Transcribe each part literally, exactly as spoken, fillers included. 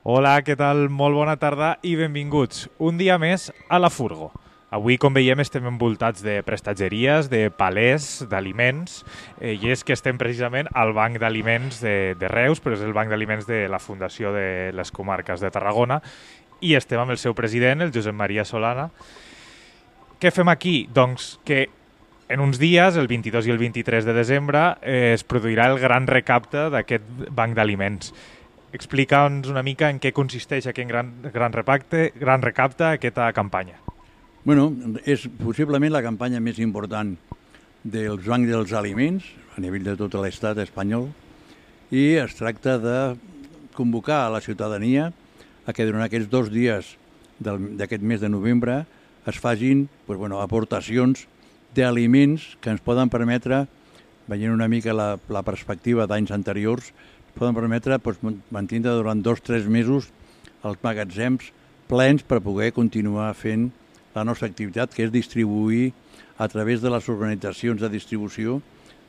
Hola, què tal? Molt bona tarda i benvinguts un dia més a la Furgo. Avui, com veiem, estem envoltats de prestatgeries, de palers, d'aliments, eh, i és que estem precisament al Banc d'Aliments de, de Reus, però és el Banc d'Aliments de la Fundació de les Comarques de Tarragona, i estem amb el seu president, el Josep Maria Solana. Què fem aquí? Doncs que en uns dies, el vint-i-dos i el vint-i-tres de desembre, eh, es produirà el gran recapte d'aquest Banc d'Aliments. Explica'ns una mica en què consisteix aquest gran, gran, repacte, gran recapte, aquesta campanya. Bueno, és possiblement la campanya més important dels bancs dels aliments a nivell de tot l'estat espanyol i es tracta de convocar a la ciutadania a que durant aquests dos dies d'aquest mes de novembre es facin pues, bueno, aportacions d'aliments que ens poden permetre, veient una mica la, la perspectiva d'anys anteriors, poden permetre pues, mantenir durant dos o tres mesos els magatzems plens per poder continuar fent la nostra activitat, que és distribuir a través de les organitzacions de distribució,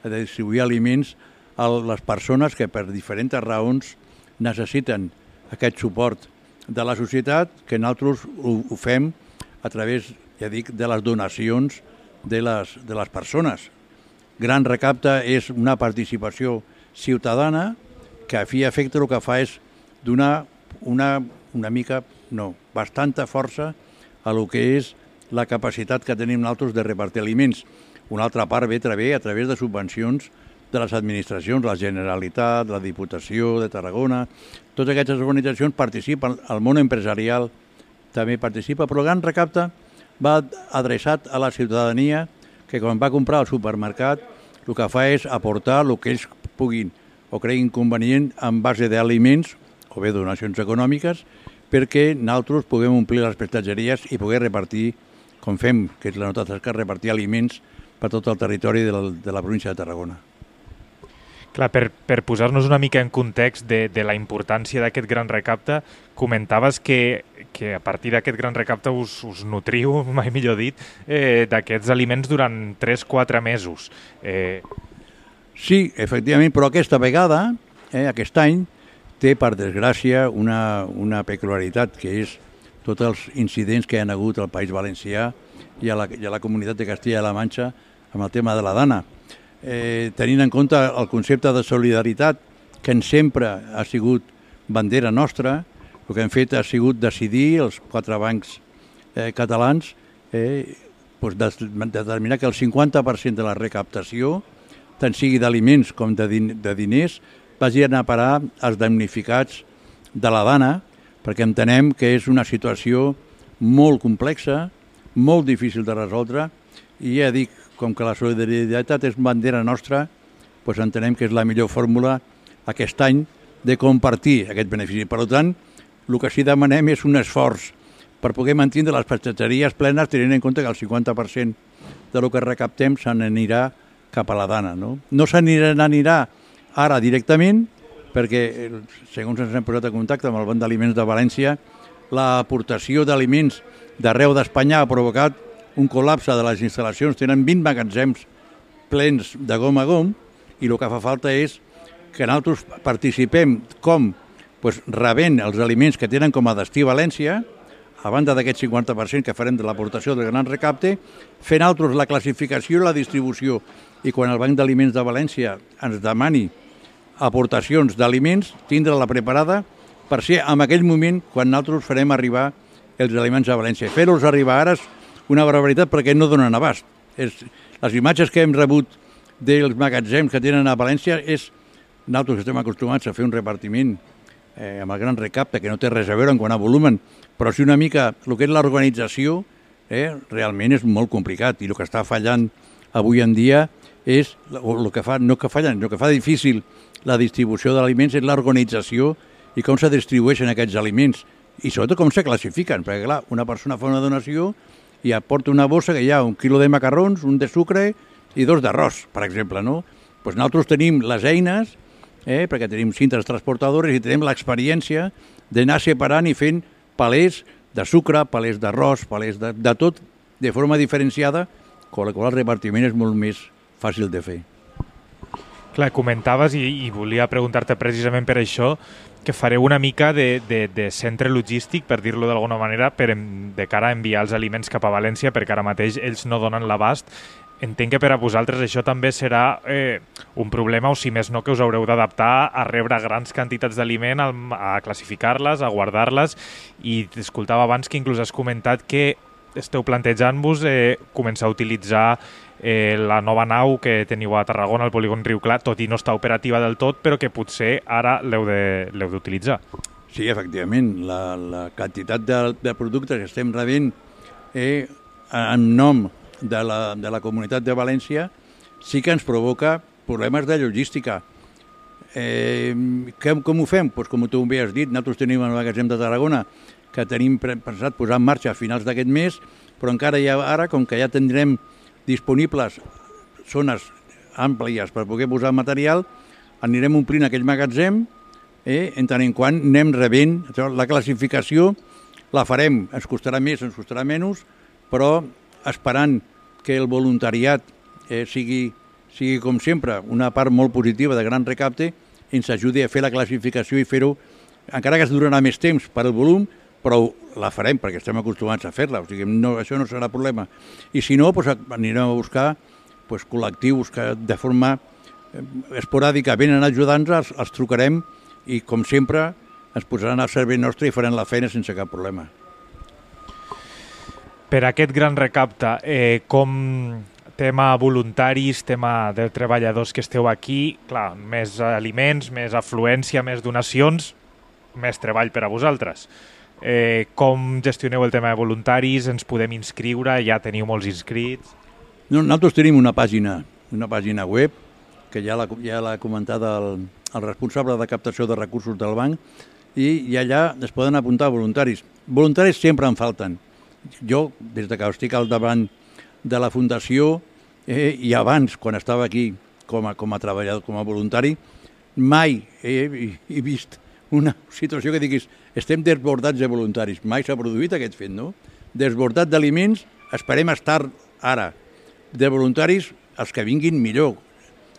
de distribuir aliments a les persones que per diferents raons necessiten aquest suport de la societat, que nosaltres ho, ho fem a través, ja dic, de les donacions de les, de les persones. Gran recapte és una participació ciutadana que a fi i efecte el que fa és donar una, una mica, no, bastanta força a lo que és la capacitat que tenim nosaltres de repartir aliments. Una altra part ve també a través de subvencions de les administracions, la Generalitat, la Diputació de Tarragona. Totes aquestes organitzacions participen, el món empresarial també participa, però el gran recapte va adreçat a la ciutadania que quan va comprar al supermercat el que fa és aportar el que ells puguin o creguin convenient en base d'aliments o bé donacions econòmiques perquè nosaltres puguem omplir les prestatgeries i poder repartir, com fem, que és la nostra tasca, repartir aliments per tot el territori de la, de la província de Tarragona. Clar, per, per posar-nos una mica en context de, de la importància d'aquest gran recapte, comentaves que, que a partir d'aquest gran recapte us, us nutriu, mai millor dit, eh, d'aquests aliments durant tres a quatre mesos. Eh... Sí, efectivament, però aquesta vegada, eh, aquest any, té, per desgràcia, una, una peculiaritat, que és tots els incidents que hi ha hagut al País Valencià i a la, i a la comunitat de Castilla-La Manxa amb el tema de la dana. Eh, tenint en compte el concepte de solidaritat, que en sempre ha sigut bandera nostra, el que hem fet ha sigut decidir, els quatre bancs eh, catalans, eh, doncs determinar que el cinquanta per cent de la recaptació, tant sigui d'aliments com de, din de diners, vagi anar a parar als damnificats de la dana, perquè entenem que és una situació molt complexa, molt difícil de resoldre, i ja dic, com que la solidaritat és bandera nostra, doncs entenem que és la millor fórmula aquest any de compartir aquest benefici. Per tant, el que sí demanem és un esforç per poder mantenir les prestatgeries plenes, tenint en compte que el cinquanta per cent del que recaptem se n'anirà cap a la dana. No, no se n'anirà ara directament, perquè, segons ens hem posat en contacte amb el Banc d'Aliments de València, l'aportació d'aliments d'arreu d'Espanya ha provocat un col·lapse de les instal·lacions. Tenen vint magatzems plens de gom a gom i el que fa falta és que nosaltres participem com pues, rebent els aliments que tenen com a destí València, a banda d'aquest cinquanta per cent que farem de l'aportació del gran recapte, fent nosaltres la classificació i la distribució. I quan el Banc d'Aliments de València ens demani aportacions d'aliments, tindre-la preparada per ser en aquell moment quan nosaltres farem arribar els aliments a València. Fer-los arribar ara és una barbaritat perquè no donen abast. És, les imatges que hem rebut dels magatzems que tenen a València és, nosaltres estem acostumats a fer un repartiment eh, amb el gran recapte, que no té res a veure en quant a volumen, però sí una mica el que és l'organització, eh, realment és molt complicat i el que està fallant avui en dia és, el que fa, no que fallen, el que fa difícil la distribució d'aliments és l'organització i com se distribueixen aquests aliments i sobretot com se classifiquen, perquè clar, una persona fa una donació i aporta una bossa que hi ha un quilo de macarrons, un de sucre i dos d'arròs, per exemple, no? Pues nosaltres tenim les eines, eh, perquè tenim cintes transportadores i tenim l'experiència d'anar separant i fent palers de sucre, palers d'arròs, palers de, de tot, de forma diferenciada, amb la qual el repartiment és molt més fàcil de fer. Clar, comentaves, i, i volia preguntar-te precisament per això, que fareu una mica de, de, de centre logístic, per dir-lo d'alguna manera, per en, de cara a enviar els aliments cap a València, perquè ara mateix ells no donen l'abast. Entenc que per a vosaltres això també serà eh, un problema, o si més no, que us haureu d'adaptar a rebre grans quantitats d'aliment, a classificar-les, a guardar-les, i t'escoltava abans que inclús has comentat que esteu plantejant-vos eh, començar a utilitzar eh, la nova nau que teniu a Tarragona, al polígon Riu Clar, tot i no està operativa del tot, però que potser ara l'heu d'utilitzar. Sí, efectivament, la, la quantitat de, de productes que estem rebent eh, en nom de la, de la Comunitat de València sí que ens provoca problemes de logística. Eh, com, com ho fem? Pues com tu bé has dit, nosaltres tenim el magatzem de Tarragona que tenim pensat posar en marxa a finals d'aquest mes, però encara ja ara, com que ja tindrem disponibles zones àmplies per poder posar material, anirem omplint aquell magatzem, eh, en tant en quant anem rebent. La classificació la farem, ens costarà més, ens costarà menys, però esperant que el voluntariat eh, sigui, sigui, com sempre, una part molt positiva de gran recapte, ens ajudi a fer la classificació i fer-ho, encara que es durarà més temps per al volum, però la farem perquè estem acostumats a fer-la, o sigui, no, això no serà problema. I si no, doncs, anirem a buscar doncs, col·lectius que de forma esporàdica venen ajudant-nos, els, els trucarem i, com sempre, ens posaran al servei nostre i faran la feina sense cap problema. Per aquest gran recapte, eh, com tema voluntaris, tema de treballadors que esteu aquí, clar, més aliments, més afluència, més donacions, més treball per a vosaltres. Eh, com gestioneu el tema de voluntaris? Ens podem inscriure? Ja teniu molts inscrits? No, nosaltres tenim una pàgina, una pàgina web, que ja l'ha ja l'ha comentat el, el responsable de captació de recursos del banc, i, i allà es poden apuntar voluntaris. Voluntaris sempre en falten. Jo, des que estic al davant de la Fundació, eh, i abans, quan estava aquí com a, com a treballador, com a voluntari, mai he, he vist una situació que diguis estem desbordats de voluntaris. Mai s'ha produït aquest fet, no? Desbordat d'aliments, esperem estar ara. De voluntaris, els que vinguin millor.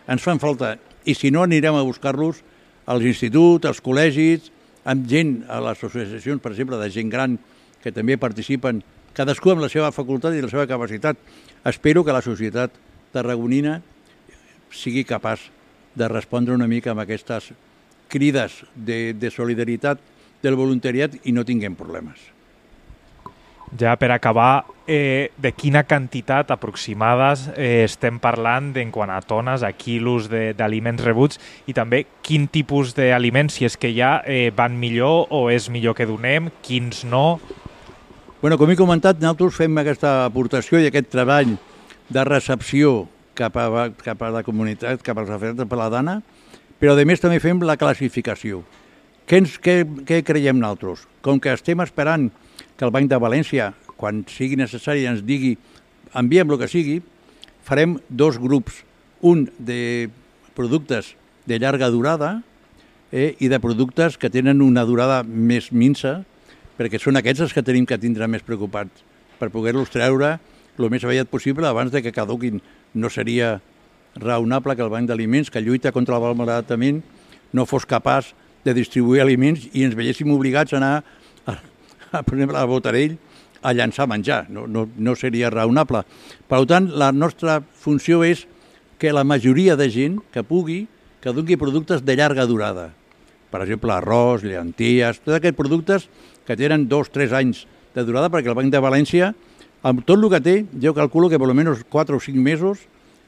Ens fan falta. I si no, anirem a buscar-los als instituts, als col·legis, amb gent, a les associacions, per exemple, de gent gran, que també participen, cadascú amb la seva facultat i la seva capacitat. Espero que la societat tarragonina sigui capaç de respondre una mica amb aquestes crides de, de solidaritat del voluntariat i no tinguem problemes. Ja per acabar, eh, de quina quantitat aproximades eh, estem parlant en quant a tones, a quilos d'aliments rebuts, i també quin tipus d'aliments, si és que ja eh, van millor o és millor que donem, quins no? Bueno, com he comentat, nosaltres fem aquesta aportació i aquest treball de recepció cap a, cap a la comunitat, cap als afers de la dana, però a més també fem la classificació. Què, ens, què, què creiem nosaltres? Com que estem esperant que el Banc de València, quan sigui necessari, ens digui enviem el que sigui, farem dos grups, un de productes de llarga durada eh, i de productes que tenen una durada més minsa, perquè són aquests els que tenim que tindre més preocupats per poder-los treure el més aviat possible abans de que caduquin. No seria raonable que el Banc d'Aliments, que lluita contra el malbaratament, no fos capaç de distribuir aliments i ens veiéssim obligats a anar, a, a, per exemple, a Botarell a llançar menjar. No, no, no seria raonable. Per tant, la nostra funció és que la majoria de gent que pugui, que doni productes de llarga durada. Per exemple, arròs, llenties, tots aquests productes que tenen dos o tres anys de durada, perquè el Banc de València, amb tot el que té, jo calculo que per almenys quatre o cinc mesos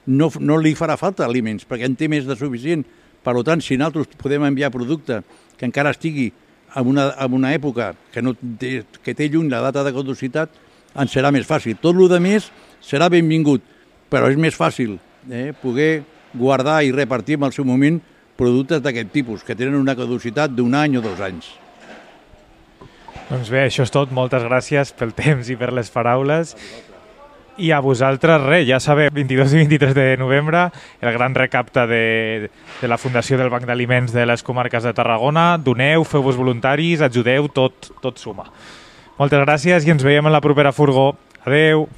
no, no li farà falta aliments, perquè en té més de suficient. Per tant, si nosaltres podem enviar producte que encara estigui en una, en una època que, no té, que té lluny la data de caducitat, ens serà més fàcil. Tot el que més serà benvingut, però és més fàcil eh, poder guardar i repartir en el seu moment productes d'aquest tipus, que tenen una caducitat d'un any o dos anys. Doncs bé, això és tot. Moltes gràcies pel temps i per les paraules. I a vosaltres, res, ja sabeu, vint-i-dos i vint-i-tres de novembre, el gran recapte de, de la Fundació del Banc d'Aliments de les Comarques de Tarragona. Doneu, feu-vos voluntaris, ajudeu, tot, tot suma. Moltes gràcies i ens veiem en la propera furgó. Adeu!